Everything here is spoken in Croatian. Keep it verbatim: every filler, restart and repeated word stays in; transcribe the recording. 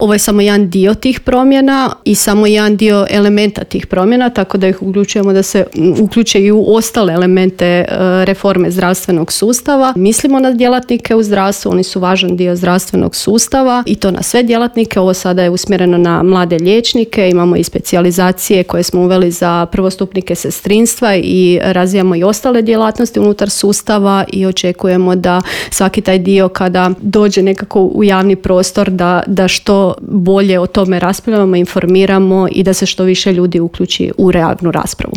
Ovo je samo jedan dio tih promjena i samo jedan dio elementa tih promjena, tako da ih uključujemo da se uključe i u ostale elemente reforme zdravstvenog sustava. Mislimo na djelatnike u zdravstvu, oni su važan dio zdravstvenog sustava i to na sve djelatnike. Ovo sada je usmjereno na mlade liječnike, imamo i specijalizacije koje smo uveli za prvostupnike sestrinstva i razvijamo i ostale djelatnosti unutar sustava i očekujemo da svaki taj dio kada dođe nekako u javni prostor da, da što bolje o tome raspravljamo, informiramo i da se što više ljudi uključi u realnu raspravu.